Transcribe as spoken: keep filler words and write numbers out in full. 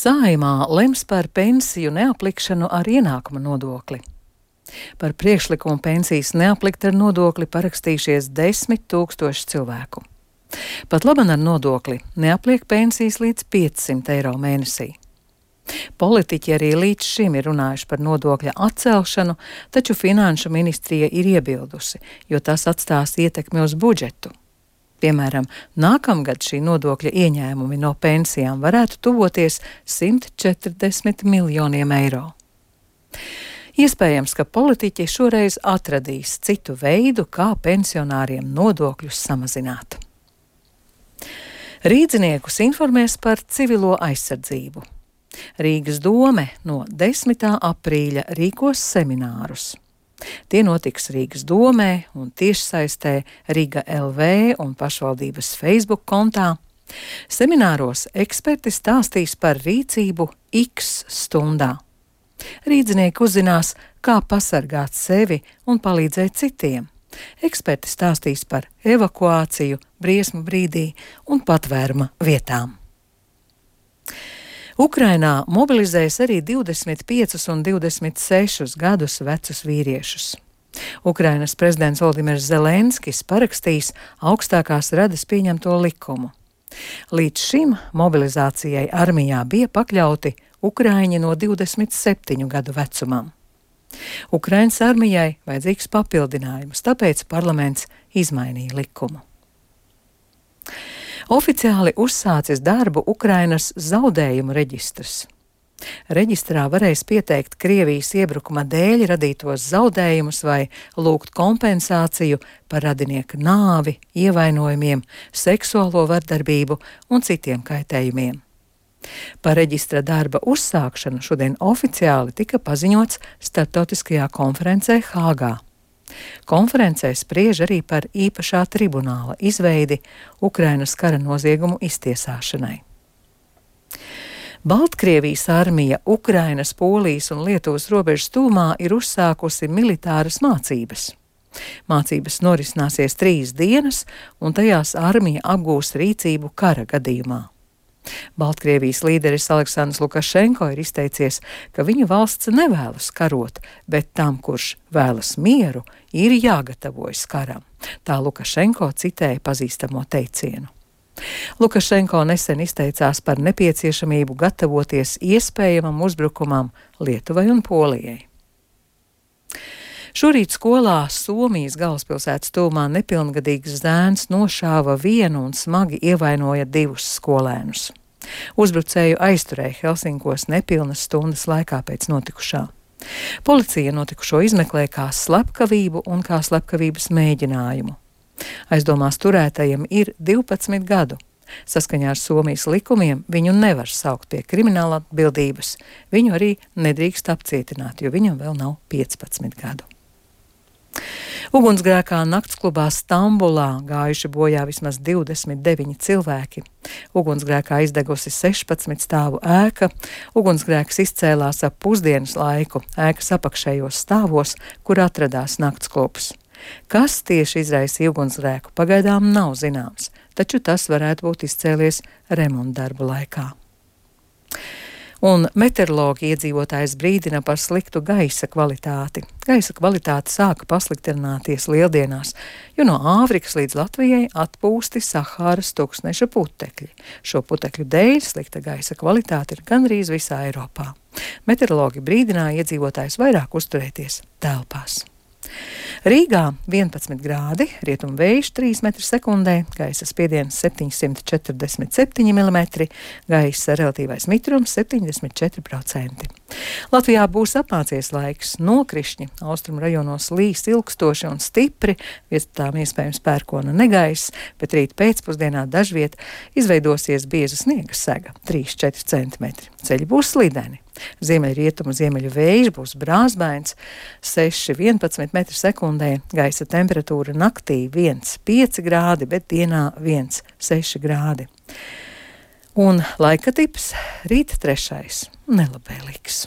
Saeimā lems par pensiju neaplikšanu ar ienākuma nodokli. Par priekšlikumu pensijas neaplikt ar nodokli parakstījušies desmit tūkstoši cilvēku. Pat laban ar nodokli neapliek pensijas līdz piecsimt eiro mēnesī. Politiķi arī līdz šim ir runājuši par nodokļa atcelšanu, taču Finanšu ministrija ir iebildusi, jo tas atstās ietekmi uz budžetu. Piemēram, nākamgad šī nodokļa ieņēmumi no pensijām varētu tuvoties simt četrdesmit miljoniem eiro. Iespējams, ka politiķi šoreiz atradīs citu veidu, kā pensionāriem nodokļus samazināt. Rīdziniekus informēs par civilo aizsardzību. Rīgas dome no desmitā aprīļa rīkos seminārus. Tie notiks Rīgas domē un tiešsaistē Riga L V un pašvaldības Facebook kontā. Semināros eksperti stāstīs par rīcību X stundā. Rīdzinieki uzzinās, kā pasargāt sevi un palīdzēt citiem. Eksperti stāstīs par evakuāciju, briesmu brīdī un patvēruma vietām. Ukrainā mobilizēs arī divdesmit piecus un divdesmit sešus gadus vecus vīriešus. Ukrainas prezidents Volodimirs Zelenskis parakstīs augstākās radas pieņemto likumu. Līdz šim mobilizācijai armijā bija pakļauti ukraiņi no divdesmit septiņu gadu vecumam. Ukrainas armijai vajadzīgs papildinājums, tāpēc parlaments izmainīja likumu. Oficiāli uzsācis darbu Ukrainas zaudējumu reģistrs. Reģistrā varēs pieteikt Krievijas iebrukuma dēļ radītos zaudējumus vai lūgt kompensāciju par radinieka nāvi, ievainojumiem, seksuālo vardarbību un citiem kaitējumiem. Par reģistra darba uzsākšanu šodien oficiāli tika paziņots starptautiskajā konferencē Hāgā. Konferencē spriež arī par īpašā tribunāla izveidi Ukrainas kara noziegumu iztiesāšanai. Baltkrievijas armija Ukrainas, Polijas un Lietuvas robežas tūmā ir uzsākusi militāras mācības. Mācības norisināsies trīs dienas, un tajās armija apgūs rīcību kara gadījumā. Baltkrievijas līderis Aleksandrs Lukašenko ir izteicies, ka viņa valsts nevēlas karot, bet tam, kurš vēlas mieru, ir jāgatavojas karam. Tā Lukašenko citēja pazīstamo teicienu. Lukašenko nesen izteicās par nepieciešamību gatavoties iespējamam uzbrukumam Lietuvai un Polijai. Šorīt skolā Somijas galvaspilsētas tuvumā nepilngadīgs zēns nošāva vienu un smagi ievainoja divus skolēnus. Uzbrucēju aizturēja Helsinkos nepilnas stundas laikā pēc notikušā. Policija notikušo izmeklē kā slepkavību un kā slepkavības mēģinājumu. Aizdomās turētajam ir divpadsmit gadu. Saskaņā ar Somijas likumiem viņu nevar saukt pie krimināla atbildības. Viņu arī nedrīkst apcietināt, jo viņam vēl nav piecpadsmit gadu. Ugunsgrēkā naktsklubā Stambulā gājuši bojā vismaz divdesmit deviņi cilvēki. Ugunsgrēkā izdegusi sešpadsmit stāvu ēka. Ugunsgrēks izcēlās ap pusdienas laiku ēkas apakšējos stāvos, kur atradās naktsklubs. Kas tieši izraisīja ugunsgrēku, pagaidām nav zināms, taču tas varētu būt izcēlies remontdarbu laikā. Un meteorologi iedzīvotājs brīdina par sliktu gaisa kvalitāti. Gaisa kvalitāte sāka pasliktināties lieldienās, jo no Āfrikas līdz Latvijai atpūsti Sahāras tuksneša putekļi. Šo putekļu dēļ slikta gaisa kvalitāte ir gandrīz visā Eiropā. Meteorologi brīdināja iedzīvotājus vairāk uzturēties telpās. Rīgā vienpadsmit grādi, rietumu vējš trīs metri sekundē, gaisa spiediens septiņsimt četrdesmit septiņi milimetri, gaisa relatīvais mitrums septiņdesmit četri procenti. Latvijā būs apmācies laiks, nokrišņi, austrumu rajonos līs ilgstoši un stipri, vietām iespējams pērkona negaiss, bet rīt pēcpusdienā dažviet izveidosies bieza sniega sega trīs līdz četri centimetri. Ceļi būs slideni. Ziemeļrietumu ziemeļu vējš būs brāzbains, seši līdz vienpadsmit metri sekundē, gaisa temperatūra naktī viens līdz pieci grādi, bet dienā viens līdz seši grādi. Un laika tips rīt trešais nelabvēlīgs.